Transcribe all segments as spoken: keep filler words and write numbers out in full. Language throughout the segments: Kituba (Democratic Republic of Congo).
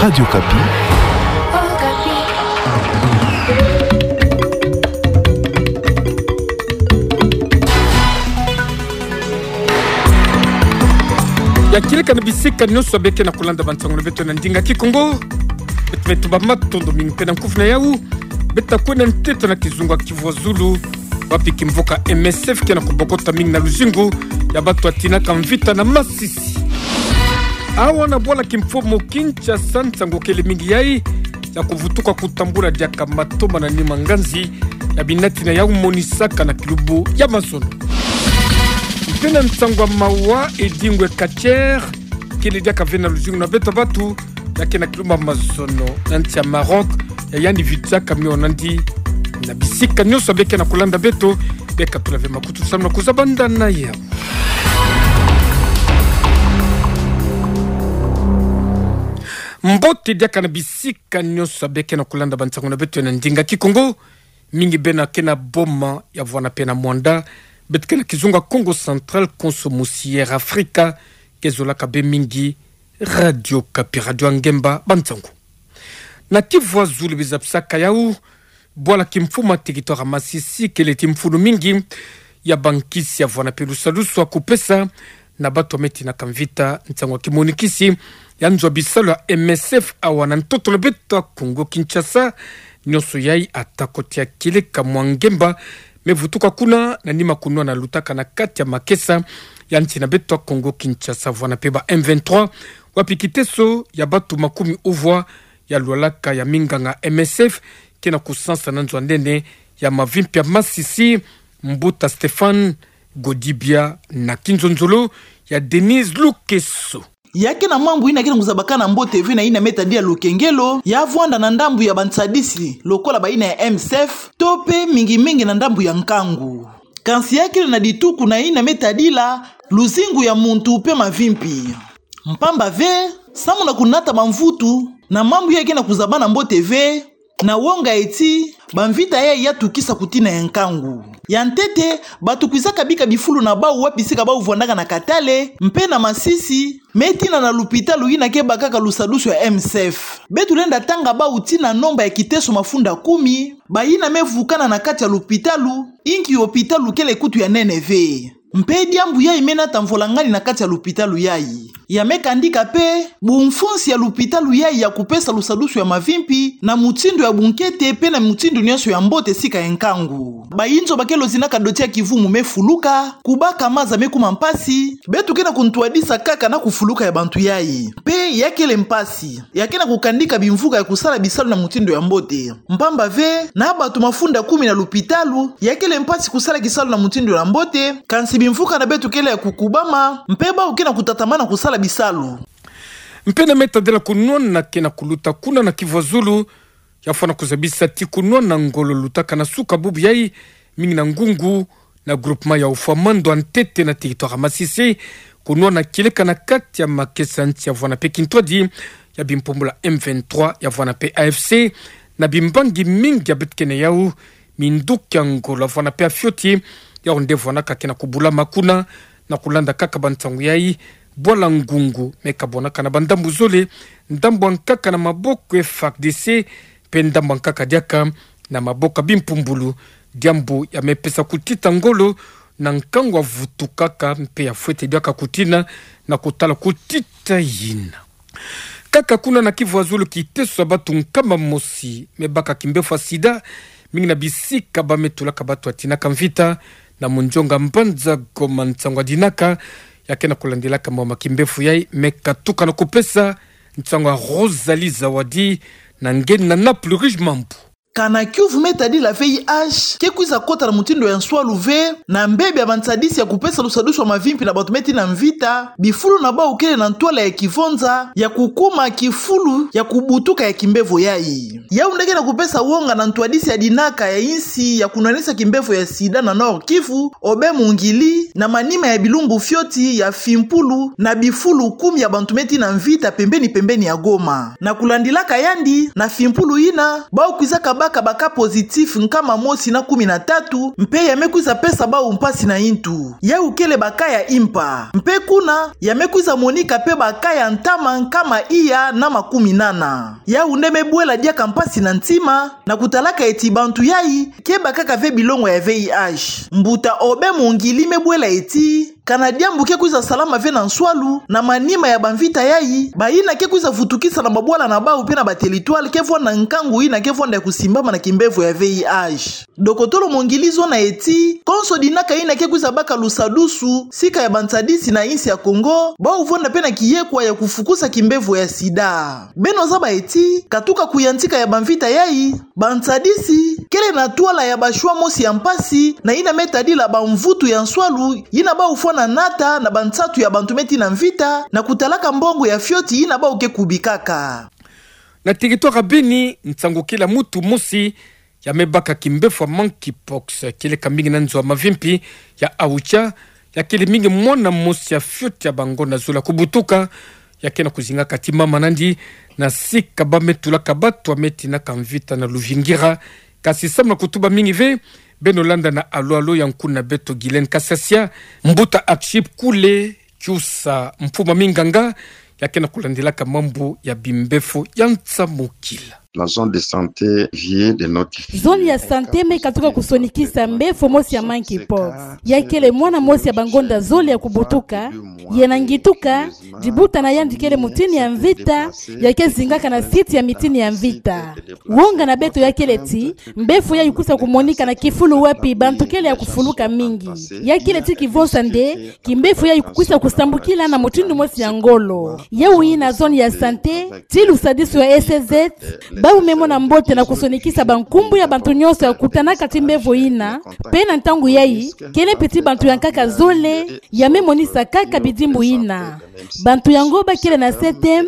Radio Okapi. Ya kieleka na bisika nyonso beke na kulanda bansango na beto na ndinga Kikongo. Beto me tuba matondo mingi mpe na nkufi na yau. Beta kwenda nteto na kizunga Kivu ya Zulu, wapi kimvuka M S F ke na kubokota mingi na luzingu ya bato ya tinaka mvita na masisi. Awa na bwala kimfumu Kinshasa, nsangu kele mingi yai ya kuvutuka kutambula diaka matoma na nima nganzi ya binati na yau monisaka na kilubu ya mazono. Mpe na nsangu ya mawa, edingwe Kacher, kele diaka ve na luzingu na beto bato, ya ke na kilubu ya mazono na nsi ya Maroc, ya yandi vitsaka mio nandi na bisika nyonso beke na kulanda beto, beka tula ve makutu samu na kuzabanda na yau. Mbote diaka na bisika nyonso beke na kulanda bansango na beto na ndinga Kikongo, mingi beno ke na Boma ya vwanda mpe na Muanda, beto ke na kizunga Kongo Central, konso musi Air Afrika, ke zolaka be mingi Radio Okapi, radio ya ngemba, bansango. Na Kivu ya Zulu bizapisaka yau, bwala kimfumu ya territoire ya Masisi kele ti mfunu mingi ya bankisi ya vwanda mpe lusadusu ya kupesa na bato me tinaka mvita, nsangu ya kimonikisi ya nzo ya bisalu ya M S F awa na ntoto na beto ya Kongo Kinshasa. Nyonso yai ata kotia kieleka mwa ngemba me vutuka kuna na nima kunwana lutaka na kati ya makesa ya nsi na beto ya Kongo Kinshasa, vwanda mpe ba M vingt-trois, wapi kiteso ya bato makumi uvwa ya lwalaka ya minganga M S F ke na kusansa na nzo ya nene ya mavimpi ya Masisi. Mbuta Stéphane Godibia na kinzonzolo ya Denise Lukeso. Ya ke na mambu ina ke na kuzabakana mbote ve na ina me tadila lukengelo ya vwanda na ndambu ya bansadisi lokola ba ina ya M S F, to mpe mingi mingi na ndambu ya nkangu. Kansi ya kele na dituku na ina me tadila luzingu ya muntu mpe mavimpi. Mpamba ve, samu na kunata bamvutu na mambu ya ke na kuzabana mbote ve, na wonga eti bamvita yai ya tukisa kutina ya nkangu. Ya ntete, bato kwizaka bika bifulu na bau wapi sika bau vwandaka na Katale mpe na Masisi, me tina na lupitalu ina ke bakaka lusadusu ya M S F. Beto lenda tanga bau tina nomba ya kiteso mafunda kumi, ba ina me vukana na kati ya lupitalu, inki lupitalu kele kutu ya nene ve. Mpe diambu yai me nata mvola ngani na kati ya lupitalu yai. Ya me kandika mpe bumfunsi ya lupitalu yai ya kupesa lusadusu ya mavimpi na mutindu ya bunkete mpe na mutindu nyonso ya mbote sika ya nkangu. Bayinzo ba ke lozinaka doti ya kivumu me fuluka, kubaka maza me kuma mpasi, beto ke na kuntwadisa kaka na kufuluka ya bantu yai. Mpe ya kele mpasi. Ya ke na kukandika bimvuka ya kusala bisalu na mutindu ya mbote. Mpamba ve, na bato mafunda kumi na lupitalu, ya kele mpasi kusala kisalu na mutindu ya mbote, kansi bimvuka na beto kele ya kukubama, mpe bau ke na kutatamana kusala bisalu. Mpe na me tadila kunwana ke na kuluta kuna na Kivu ya Zulu, ya fwana kuzabisa ti kunwana ngolo lutaka na suka bubu yai, mingi na ngungu, na groupement ya Ofwa Mando ya ntete na territoire ya Masisi, kunwana kieleka na kati ya makesa nsi ya vwanda mpe kintwadi ya bimpumbulu ya M vingt-trois ya vwanda mpe A F C, na bimbangi mingi ya beto ke na yau, minduki ya ngolo ya vwanda mpe ya fioti, yau nde vwandaka ke na kubulama kuna, na kulanda kaka bansangu yai, bwala ngungu me kabwanaka na bandambu zole, ndambu ya nkaka na maboko ya F A R D C, mpe ndambu ya nkaka diaka na maboko ya bimpumbulu, diambu ya me pesa kutita ngolo na nkangu ya vutukaka mpe ya fwete diaka kutina na kutala kutita yina. Kaka kuna na Kivu ya Zulu, kiteso ya bato nkama mosi me baka kimbevo ya sida, mingi na bisika ba me tulaka bato ya tinaka mvita, na munzonga mbanza Goma, nsangu ya dinaka ya ke na kulandilaka mama kimbevo yai me katuka na kupesa, nsangu ya Rosalie Zawadi na nge na Naples Rouge Mambu. Kana kiuvu me tadila V I H ke kwiza kota na mutindu ya nswalu ve, na mbebe ya bansadisi ya kupesa lusadusu ya mavimpi na bato me tina mvita, bifulu na bau kele na ntwala ya kivonza ya kukuma kifulu ya kubutuka ya kimbevo yai. Yau nde ke na kupesa wonga na ntwadisi ya dinaka ya insi ya kunwanisa kimbevo ya sida na Nord-Kivu, Aubin Mungili, na manima ya bilumbu fioti ya fimpulu na bifulu kumi ya bantu me tina mvita pembeni pembeni ya Goma. Na kulandilaka yandi, na fimpulu ina, bau kwizaka baka ba cas positif nkama mosi na kumi na tatu, mpe ya me kwiza pesa bawu mpasi na intu. Yawu kele ba cas ya impa. Mpe kuna, ya me kwiza monika mpe ba cas ya ntama nkama iya na makumi nana. Yawu nde me bwela diaka mpasi na ntima, na kutalaka eti bantu yayi, ke bakaka ve bilongo ya V I H. Mbuta Aubin Mongili me bwela eti, kana diambu ke kwiza salama ve na nswalu, na manima ya bamvita yayi, bayina ke kwiza vutukisa na babwala na bawu mpe na ba territoire ke vwanda nkangu yina ke vwanda ya kusimbama na kimbevo ya V I H. Dokotolo Mongili zona eti, konso dinaka yina ke kwiza baka lusadusu, sika ya bantadisi na insi ya Kongo, bawu vwanda mpe na kiyekwa ya kufukusa kimbevo ya sida. Beno zaba eti, katuka kuyantika ya bamvita yayi, bantadisi, kele na twala ya ba choix mosi ya mpasi, na yina me tadila bamvutu ya nswalu, yina bawu fwana nata na bansatu ya bantu me tina mvita, na kutalaka mbongo ya fioti yina bawu ke kubikaka. Na territoire ya Beni, nsangu kele ya mutu mosi, ya me baka kimbevo ya monkeypox, kieleka mingi na nzo ya mavimpi ya Aoutcha, ya kele mingi mwana mosi ya fioti ya bangonda zole ya kubutuka, ya ke na kuzinga kati mama nandi, na sika ba me tulaka batu ya me tinaka mvita na Luvingira. Kasi samu na kutuba mingi ve, beno landa na Alo Alo ya nkuna beto Guylaine Kasasia, mbuta Archip Kule, Kyusa Mfuma Minganga, ya ke na kulandilaka mambu ya bimbevo ya nsamukila. La zone de santé vient de notifier. Zone ya santé me katuka kusonikisa mbevo mosi ya monkeypox. Ya kele mwana mosi ya bangonda zole ya kubutuka, yena ngituka, dibuta na yandi kele mutini ya mvita, ya ke zingaka na site ya mitini ya mvita. Wonga na beto ya kele ti, mbevo yayi kwiza kumonika na kifulu wapi bantu kele ya kufuluka mingi. Ya kele ti kivonsa nde, kimbevo yayi kukwiza kusambukila na mutindu mosi ya ngolo. Yawu yina zone ya santé, ti lusadisu ya S Z, bawu me mona mbote na kusonikisa bankumbu ya bantu nyonso ya kutanaka ti mbevo yina, mpe na ntangu yayi, kele mpe ti bantu ya nkaka zole, ya me monisa kaka bidimbu yina. Bantu yango ba kele na C T M,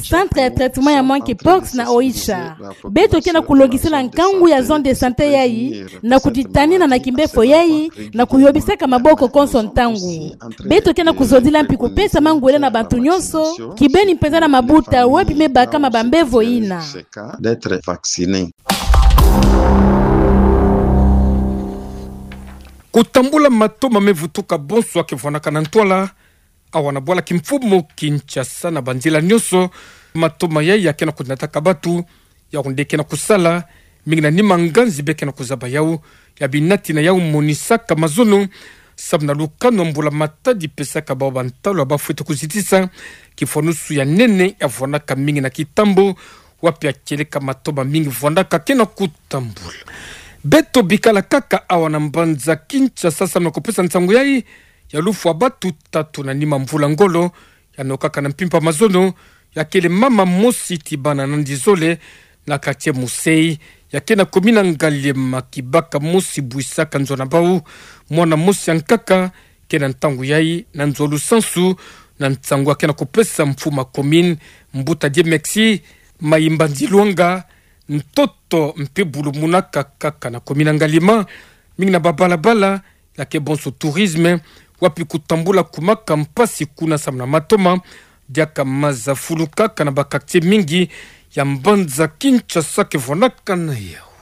Centre ya Traitement ya Monkeypox na Oicha. Beto ke na kulongisela nkangu ya zone de santé yayi, na kuditanina na kimbevo yayi, na kuyobisaka maboko konso ntangu. Beto ke na kuzodila mpi kupesa mangwele na bantu nyonso, kibeni mpenza na mabuta wapi me bakama bambevo yina. D'être vacciné. Kutambula matoma me vutuka bonso ya ke vwanaka na ntwala, awa na bwala kimfumu Kinshasa na banzila nyonso, matoma yayi ya ke na kunataka batu, yawu nde ke na kusala, mingi na nima nganzi be ke na kuzaba yawu, ya binati na yawu monisaka mazono, samu na lukanu ya mbula matadi pesaka bawu bantalu ya ba fwete kuzitisa, kifwanusu ya nene ya vwanaka mingi na kitambo, wapi ya kieleka matoma mingi vwandaka ke na kutambula. Beto bikala kaka awa na mbanza Kinshasa samu na kupesa nsangu yayi, ya lufwa batu tatu na nima mvula ngolo, ya nokaka na mpimpa mazono, ya kele mama mosi ti bana nandi zole, na quartier Musei, ya ke na commune Ngaliema kibaka mosi bwisaka nzo na bawu, mwana mosi ya nkaka, ke na ntangu yayi, na nzo lusansu, na nsangu ya ke na kupesa mfumu ya commune, mbuta Dieu Mexi Mayimbanzi Lwanga, ntoto mpe bulumunaka kaka na commune Ngaliema, mingi na babalabala, ya ke bonso tourisme, wapi kutambula kumaka mpasi kuna samu na matoma, diaka maza fulukaka na ba quartier mingi ya mbanza Kinshasa ke vwanaka na yawu.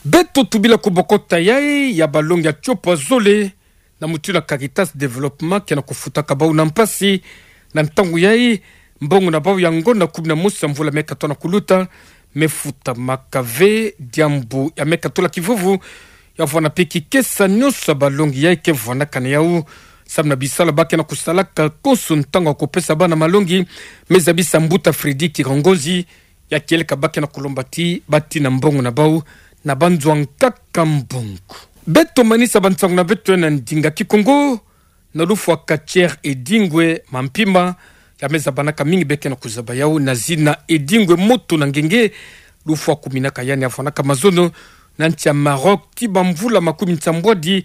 Beto tubila kubokota yayi ya balongi ya tiopa zole, na mutindu na Caritas Développement ke na kufutaka bawu na mpasi, na ntangu yayi, mbongo na bawu ya ngonda kumi na mosi ya mvula me katola na kuluta, me futamaka ve, diambu ya me katola kivuvu, ya vwana mpe kikesa nyonso ya balongi yayi ke vwanaka na yawu, samu na bisalu ba ke na kusalaka konso ntangu ya kupesa bana malongi, me zabisa mbuta Freddy Kirongozi, ya kieleka ba ke na kulomba ti batina mbongo na bawu, na banzo ya nkaka mbongo. Beto manisa bansangu na beto na ndinga Kikongo, na lufwa quartier Edingwe Mampima, ya me zabanaka mingi be ke na kuzaba yawu na zina Edingwe Moto na Ngenge, lufwa kuminaka yandi ya vwanaka mazono, na nsi ya Maroc, ti bamvula makumi nsambwadi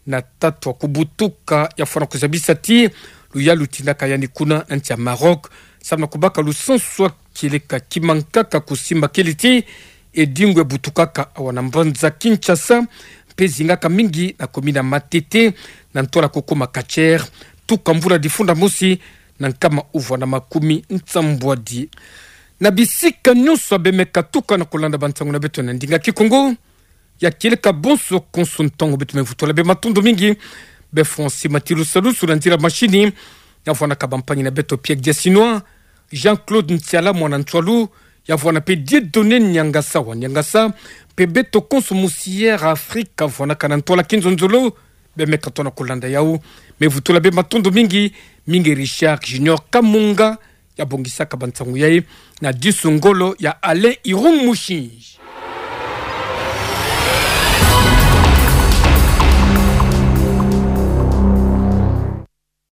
na tatu ya kubutuka, ya fwana kuzabisa ti luyalu lutindaka yandi kuna na nsi ya Maroc, samu na kubaka lusansu ya kieleka ki mankaka kusimba kele ti Edingwe butukaka awa na mbanza Kinshasa, mpe zingaka mingi na commune ya Matete, na ntwala kukoma quartier, tuka mvula difunda mosi na nkama uvwa na makumi nsambwadi. Na bisika nyonso bemeka tuka na kolanda bansangu na beto na ndinga Kikongo, ya kieleka bonso konso ntangu beto mevutula bie matondo mingi. Bie Francis Matilusalusu na nzila mashini, ya vwanaka bampangi na beto Pierre Diasinois, Jean-Claude Ntiala mwana Ntsoilu, ya vwana pe Dieudonné Niangasa wa Niangasa, pe beto konso musière Afrika vwanaka na ntwala kinzonzolo, bemeka tona kolanda yau. Mevutula bie matondo mingi, mingi Richard Junior Kamunga, ya bongisaka bansangu yayi na disu ngolo ya Alain Irung Mushinji.